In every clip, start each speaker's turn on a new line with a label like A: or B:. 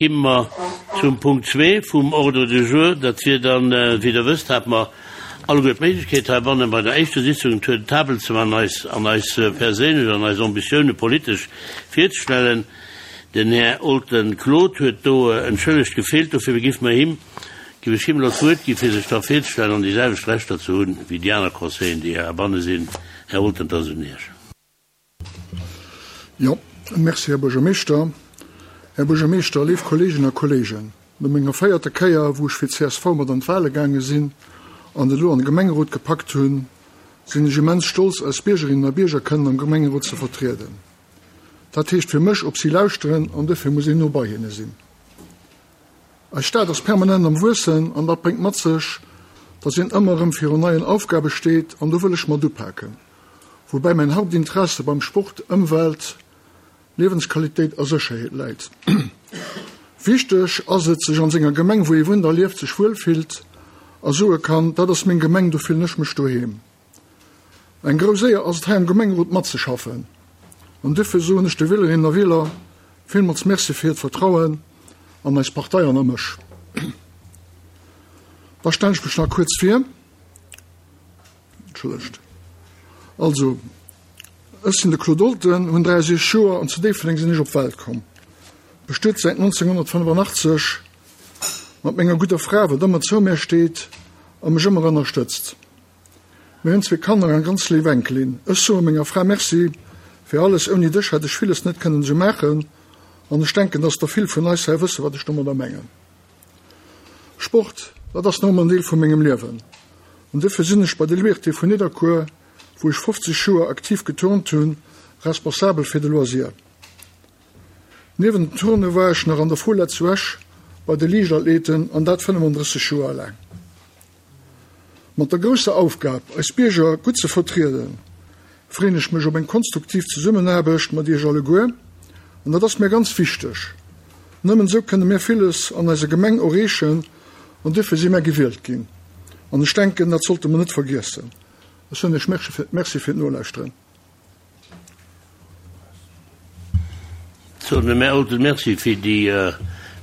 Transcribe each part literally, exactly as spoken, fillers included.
A: Gi mer zum Punkt zwee vum Ordre du jour. Dat wier dann, wéi Der wësst, hate mer alleguer d'Méiglechkeet heibannen bei der éischter Sitzung en Tour de table ze man eis an eis perséinlech an eis Ambitioune politesch virzestellen. Den Här Olten Claude huet do entschëllegt gefeelt, dofir giff mer him, giff ech him elo d'Wuert gi fir sech da virzestellen an déi selwecht Rechter ze hunn wéi déi aner Conseilleren, déi heibanne sinn. Här Olten, et ass un Iech.
B: Jo, merci, Här Buergermeeschter. Här Buergermeeschter, léif Kolleeginnen a Kolleegen, no menger véierter Kéier, wou ech fir csv mat an d'Wale gaange sinn an et elo an de Gemengerot gepackt hunn, sinn ech immens stolz, eis Biergerinnen a Bierger kënnen am Gemengerot ze vertrieden. Dat heescht fir mech, op si lauschteren an dofir muss een no bei hinne sinn. Eis Stad ass permanent am Wuessen an dat bréngt mat sech, datt een ëmmer erëm virun neien Aufgabe steet an do wëll ech mat upaken, woubäi mäin Hauptinteresse beim Sport, Ëmwelt, Liewensqualitéit a Sécherheet läit. Wichteg ass et, sech an senger Gemeng, wou ee wunnt a lieft, sech wuel fillt a soe kann, dat ass meng Gemeng, do fillen ech mech doheem. Eng grouss Éier ass et, hei am Gemengerot matzeschaffen an duerfir soen ech de Wielerinnen a Wieler villmools Merci fir hiert Vertrauen an eis Partei an a mech. Da stellen ech mech nach kuerz vir. Entschëllegt. Also. Ech sinn de Claude Olten, hunn dräiendsechzeg Joer an zu Déifferdeng sinn ech op d'Welt komm. Bestuet säit nonzénghonnertfënnefannachtzeg mat menger gudder Fra, wat ëmmer zou mär steet a mech ëmmer ënnerstëtzt. Mir hunn zwee Kanner an eng ganz léif Enkelin. Ech soe menger Fra Merci fir alles, ouni dech hätt ech villes net kënnen esou maachen an ech denken, dass der vill vun eis hei wësse wat ech domadder mengen. Sport, dat ass nach ëmmer en Deel vu mengem Liewen an duerfir sinn ech bei de Liberté vun Nidderkuer, wou ech fofzeg Joer aktiv geturnt hunn, responsabel fir de Loisir. Niewent dem Turne war ech nach an der Fola zu Esch bei de Liichtathleten an dat fënnefandrësseg Joer laang. Mat der grousser Aufgab, eis Bierger gutt ze vertrieden, freeën ech mech op eng konstruktiv Zesummenaarbecht mat Iech alleguer an dat ass mir ganz wichteg. Nëmmen esou kënne mir villes an eiser Gemeng erreechen an duerfir si mär gewielt ginn an ech denken, dat sollte mer net vergiessen. Ech soen Iech Merci fir d'Nolauschteren.
A: Soen dem Här Olten Merci fir déi,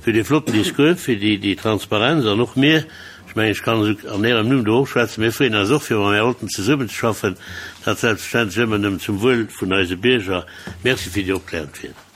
A: fir dee flotten Discours, fir déi, déi Transparenz. An och mir, ech mengen, ech kann esou an Ärem Numm do och schwätzen, mir freeën eis och, fir mam Här Olten zesummenzeschaffen, dat selbstverständlech ëmmer nëmmen zum Wuel vun eise Bierger. Merci fir déi opklärend Wieder.